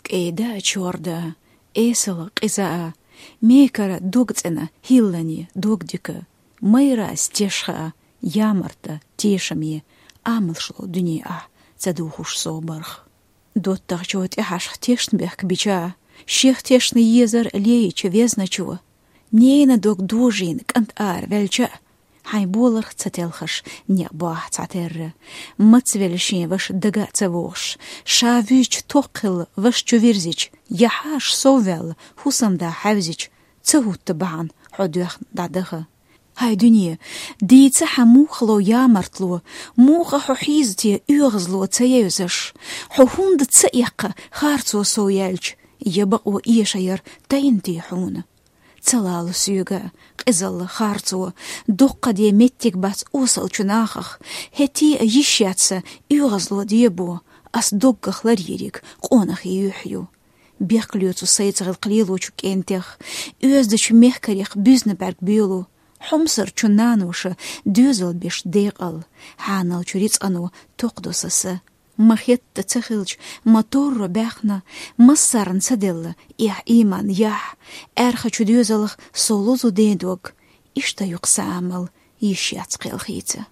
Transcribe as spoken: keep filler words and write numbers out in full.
КӀеда а чорда, эсала къиза а, мекара дог цӀена хӀиллани дог дика, майрас тешха а, ямарта тешаме, амалшло дуьне ахь ца духуш собарх. ДоттагӀчо тӀехьашха тешна бехк бича, шех тешна езар леича везначо. Нена дог дожийна кӀант ара ваьлча, хьайн боларх ца телхаш, некъ бохь цхьатерра. Мацвелла шен ваша дага а ца вохуш, ша вуьзча тохкхилла ваша чу вирзича, я хьаша совваьлла хӀусамда хьаьвзича, ца хӀутта бахьана хьо доьхна дӀадаха. Хьай дуьне, дийца хьан мухало ямартло, муха хьо хьийза те оьгӀазло ца евзаш, хьо хӀунда ца эккха харцо сов яьлча, я бакъо эша яр тайна те хьуна? Ца лала соьга, къизалла харцо, доккха де меттиг бац осалчу нахах, хӀетте а йиш яц сан оьгӀазло дебо, ас доггах ларйийриг къонахий юьхь ю. Бехк лоьцу сайца гӀиллакх лелочу кӀентех, оьздачу мехкарех буьзна бӀаьрг боьлу, хьомсарчу наноша доьзал беш декъал, хьаналчу рицкъано токхадо сан са. Ма хетта ца хилча, ма торро баьхна, массарна ца делла эхь, ийман, яхь, аьрхачу доьзалах со лозу ден дог, иштта ю-кх сан амал, йиш яц кхелхийца.